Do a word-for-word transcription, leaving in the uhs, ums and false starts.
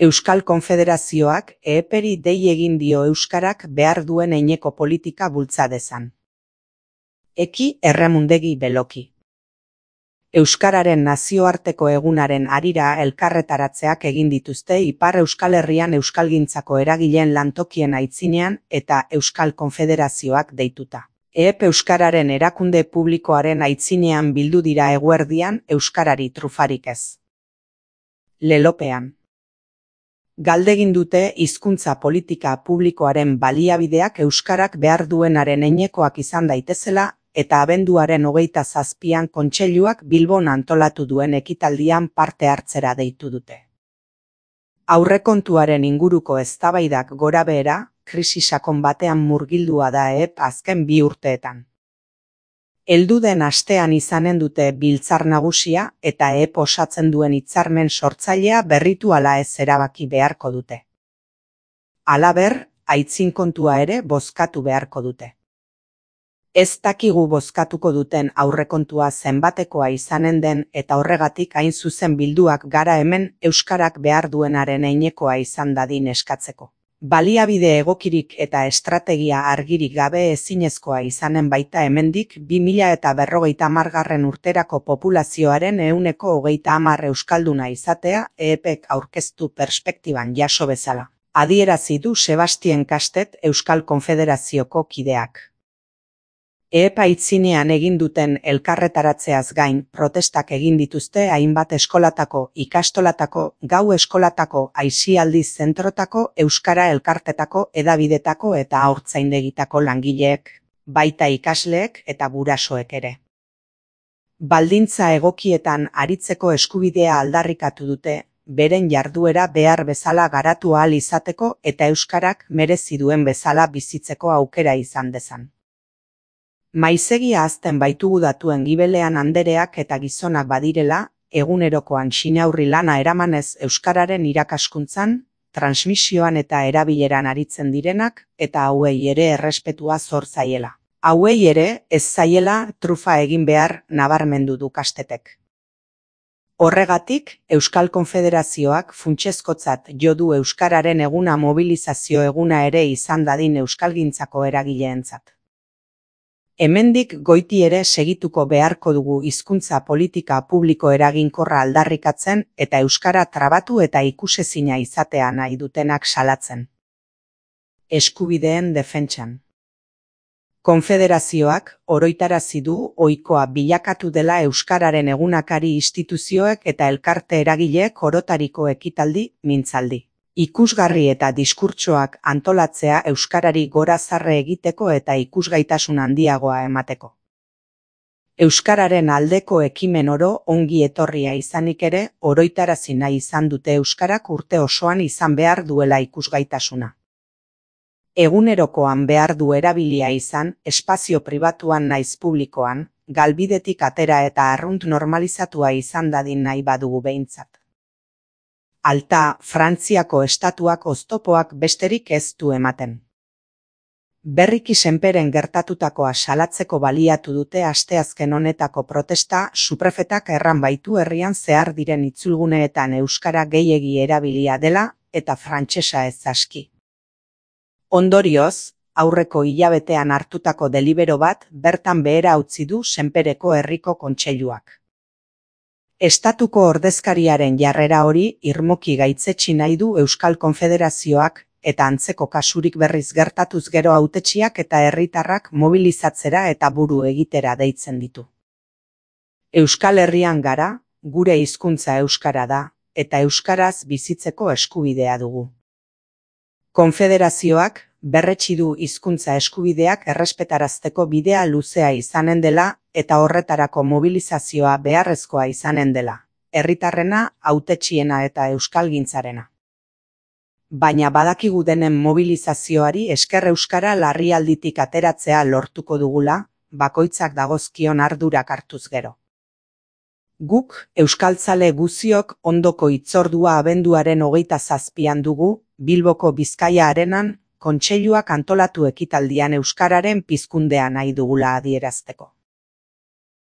Euskal Konfederazioak E E P-ri dei egin dio euskarak behar duen eineko politika bultza dezan. Eki Erremundegi Beloki. Euskararen nazioarteko egunaren harira elkarretaratzeak egin dituzte Ipar Euskal Herrian euskalgintzako eragileen lantokien aitzinean eta Euskal Konfederazioak deituta. E E P Euskararen erakunde publikoaren aitzinean bildu dira eguerdian euskarari trufarik ez. Lelopean. Galdegin dute hizkuntza politika publikoaren baliabideak euskarak behar duenaren heinekoak izan daitezela eta abenduaren hogeita zazpian kontseiluak Bilbon antolatu duen ekitaldian parte hartzera deitu dute. Aurrekontuaren inguruko eztabaidak gorabehera, krisi sakon batean murgildua da E E P azken bi urteetan. Heldu den astean izanen dute biltzar nagusia eta E E P osatzen duen hitzarmen sortzailea berritu ala ez erabaki beharko dute. Halaber, aitzin kontua ere bozkatu beharko dute. Ez dakigu bozkatuko duten aurrekontua zenbatekoa izanen den eta horregatik hain zuzen bilduak gara hemen euskarak behar duenaren heinekoa izan dadin eskatzeko. Baliabide egokirik eta estrategia argirik gabe ezinezkoa izanen baita hemendik bi mila eta berrogeita hamargarren urterako populazioaren ehuneko hogeita hamar euskalduna izatea E E P-ek aurkeztu perspektiban jaso bezala. Adierazi du Sebastien Kastet Euskal Konfederazioko kideak. E E P aitzinean egin duten elkarretaratzeaz gain protestak egin dituzte hainbat eskolatako, ikastolatako, gau eskolatako, aisialdi zentrotako, euskara elkartetako, hedabidetako eta haurtzaindegitako langileek, baita ikasleek eta gurasoek ere. Baldintza egokietan aritzeko eskubidea aldarrikatu dute, beren jarduera behar bezala garatu ahal izateko eta euskarak merezi duen bezala bizitzeko aukera izan dezan. Maizegia azten baitugu datuen gibelean andereak eta gizonak badirela, egunerokoan xinaurri lana eramanez euskararen irakaskuntzan, transmisioan eta erabileran aritzen direnak, eta hauei ere errespetua zor zaiela. Hauei ere ez zaiela trufa egin behar nabarmendu du Kastetek. Horregatik, Euskal Konfederazioak funtsezkotzat jo du euskararen eguna mobilizazio eguna ere izan dadin euskalgintzako eragileentzat. Hemendik goiti ere segituko beharko dugu hizkuntza politika publiko eraginkorra aldarrikatzen eta euskara trabatu eta ikusezina izatea nahi dutenak salatzen. Eskubideen defentsan. Konfederazioak oroitarazi du ohikoa bilakatu dela euskararen egunakari instituzioek eta elkarte eragileek orotariko ekitaldi, mintzaldi. Ikusgarri eta diskurtsoak antolatzea euskarari gora zarre egiteko eta ikusgaitasun handiagoa emateko. Euskararen aldeko ekimen oro ongi etorria izanik ere oroitarazi nahi izan dute euskarak urte osoan izan behar duela ikusgaitasuna. Egunerokoan behar du erabilia izan, espazio pribatuan naiz publikoan, galbidetik atera eta arrunt normalizatua izan dadin nahi badugu behintzat. Alta, Frantziako estatuak oztopoak besterik ez du ematen. Berriki senperen gertatutakoa salatzeko baliatu dute asteazken honetako protesta suprefetak erran baitu herrian zehar diren itzulguneetan euskara gehiegi erabilia dela eta frantsesa ez aski. Ondorioz, aurreko hilabetean hartutako delibero bat bertan behera utzi du senpereko herriko kontseiluak. Estatuko ordezkariaren jarrera hori irmoki gaitzetsi nahi du Euskal Konfederazioak eta antzeko kasurik berriz gertatuz gero hautetsiak eta herritarrak mobilizatzera eta buru egitera deitzen ditu. Euskal Herrian gara, gure hizkuntza euskara da, eta euskaraz bizitzeko eskubidea dugu. Konfederazioak berretsi du hizkuntza eskubideak errespetarazteko bidea luzea izanen dela eta horretarako mobilizazioa beharrezkoa izanen dela, herritarrena, hautetsiena eta euskalgintzarena. Baina badakigu denen mobilizazioari esker euskara larrialditik ateratzea lortuko dugula, bakoitzak dagozkion ardurak hartuz gero. Guk, euskaltzale guziok ondoko hitzordua abenduaren hogeita zazpian dugu, Bilboko Bizkaia Arenan, kontseiluak antolatu ekitaldian euskararen pizkundea nahi dugula adierazteko.